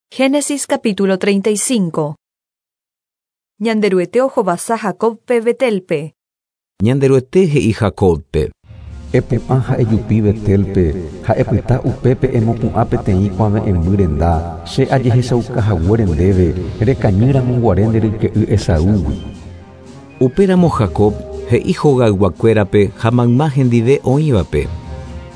Génesis capítulo 35. Ñanderuete ohovasa Jacobpe Betelpe. Ñanderuete he'i Jacobpe. Epu'ã ha ejupi Betelpe, ha epyta upépe emopu'ã peteĩ kuave'ẽmby renda, che ajehechauka haguére ndéve, rekañy ramo guare nde ryke'y Esaúgui. Upéramo Jacob he'i hogayguakuérape ha mayma hendive oĩvape.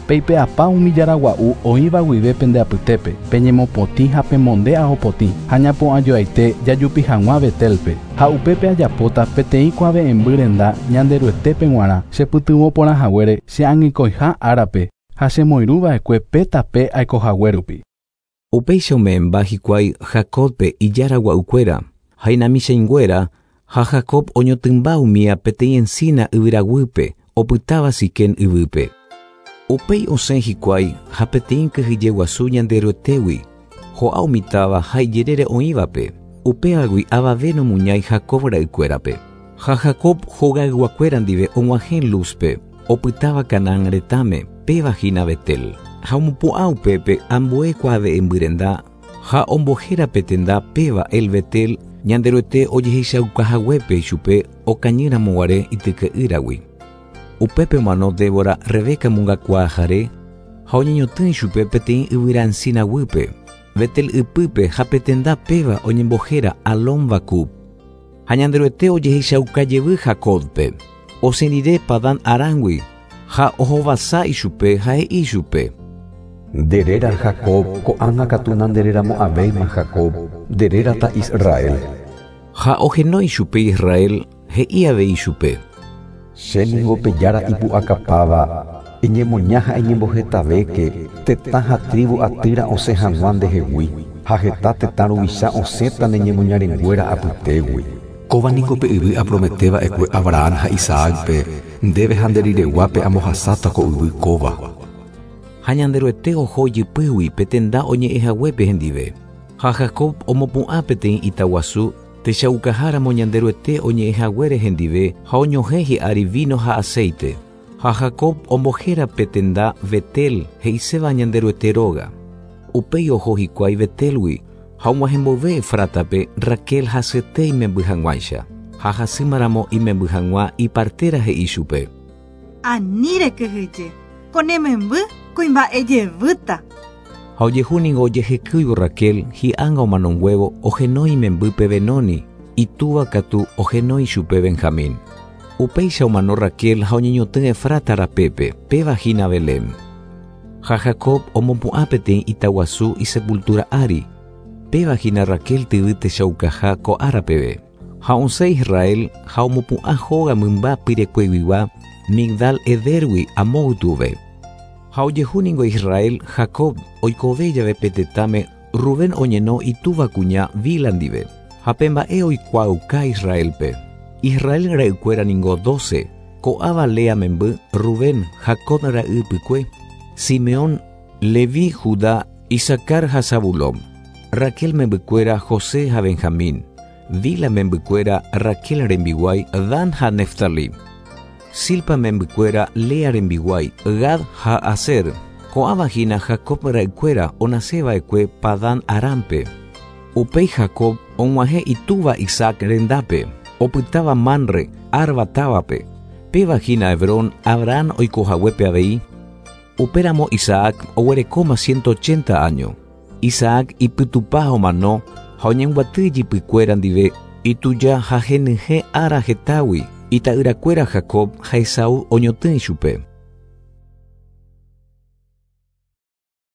Peipe'apa umi jára gua'u oĩva guive pende apytépe, peñemopotĩ ha pemonde ao potĩ, ha ñapu'ãjoaite jajupi hag̃ua Betelpe, ha upépe ajapóta peteĩ kuave'ẽmby renda Ñanderuetépe g̃uarã, chepytyvõ porã haguére che angekõiha árape ha chemoirũva'ekue pe tape aikohague rupi. Upéicha ome'ẽmba hikuái Jacobpe ijára gua'ukuéra, ha inamichãinguéra, ha Jacob oñotỹmba umía peteĩ encina yvyraguýpe, opytáva Siquem yvýpe. Upéi osẽ hikuái ha peteĩ kyhyje guasu Ñanderuetégui, ho'a umi táva ha ijerére oĩvape, upévagui avave nomuñái Jacob ra'ykuérape. Ha Jacob hogayguakuéra ndive og̃uahẽ Luzpe, opytáva Canaán retãme, péva hína Betel. Ha omopu'ã upépe ambue kuave'ẽmby renda ha ombohéra pe tenda péva El Betel, Ñanderuete ojehechaukahaguépe ichupe okañýramo guare ityke'ýragui. Upépe omano Débora Rebeca mongakuaahare ha oñeñotỹ ichupe peteĩ yvyra encina guýpe, Betel ypýpe ha pe tenda péva oñembohéra Alon Bakub. Ha Ñanderuete ojehechauka jevy Jacobpe, osẽ rire Padán Arángui, ha ohovasa ichupe ha he'i ichupe. Nde réra Jacob, ko'ág̃a katu nandereramo'ãvéima Jacob, nde rérata Israel. Ha ohenói chupe Israel, he'i avei chupe. Che ningo pe Jára Ipu'akapáva, eñemoña ha eñembohetavéke, tetã ha trívu atýra osẽ hag̃ua ndehegui, ha heta tetã ruvicha osẽta ne ñemoñarenguéra apytégui. Kóva niko pe yvy apromete va'ekue Abraham ha Isaácpe, ndéve ha nde rireguápe ambohasáta ko yvy kóva. Ha Ñanderuete oho ijypýgui pe tenda oñe'ẽ haguépe hendive. Ha Jacob omopu'ã peteĩ ita guasu techaukaháramo Ñanderuete oñe'ẽ haguére hendive ha oñohẽ hi'ári víno ha aséite. Ha Jacob ombohéra pe tenda Betel, he'iséva Ñanderuete róga. Upéi oho hikuái Betélgui, ha og̃uahẽ mboyve Efrátape, Raquel hasyete imemby hag̃uáicha. Ha hasýmaramo imemby hag̃ua ipartéra he'i chupe. Ani rekyhyje, ko ne memby kuimba'e jevýta. Ha ojehu ningo ojehekýivo Raquel hi'ánga omanonguévo ohenói imembýpe Benoni, itúva katu ohenói chupe Benjamín. Upéicha omano Raquel ha oñeñotỹ Efrata rapépe, péva hína Belén. Ha Jacob omopu'ã peteĩ ita guasu isepultúra ári, péva hína Raquel tyvy techaukaha ko ára peve. Ha osẽ Israel ha omopu'ã hóga mymba pirekueguigua Migdal Edérgui amo ytuve. Ha ojehu ningo Israel, Jacob, oikove jave pe tetãme, Rubén oñeno itúva kuña Bila ndive, ha pe mba'e oikuaauka Israélpe. Israel ra'ykuéra ningo dóse, ko'ãva Lea memby, Rubén, Jacob ra'y ypykue, Simeón, Leví, Judá, Isacar ha Zabulón. Raquel membykuéra, José ha Benjamín. Bila membykuéra, Raquel rembiguái, Dan ha Neftalí. Zilpa membykuéra, Lea rembiguái, Gad ha Aser. Ko'ãva hína Jacob ra'ykuéra onase va'ekue Padán Arámpe. Upéi Jacob og̃uahẽ itúva Isaac rendápe, opytáva Manre, Arba távape, péva hína Hebrón, Abrahán oiko haguépe avei. Upéramo Isaac oguerekóma ciento ochenta áño. Isaac ipytupa ha omano, ha oñembyaty ijypykuéra ndive, ituja ha henyhẽ ára hetágui, ita'yrakuéra Jacob ha Esaú oñotỹ ichupe.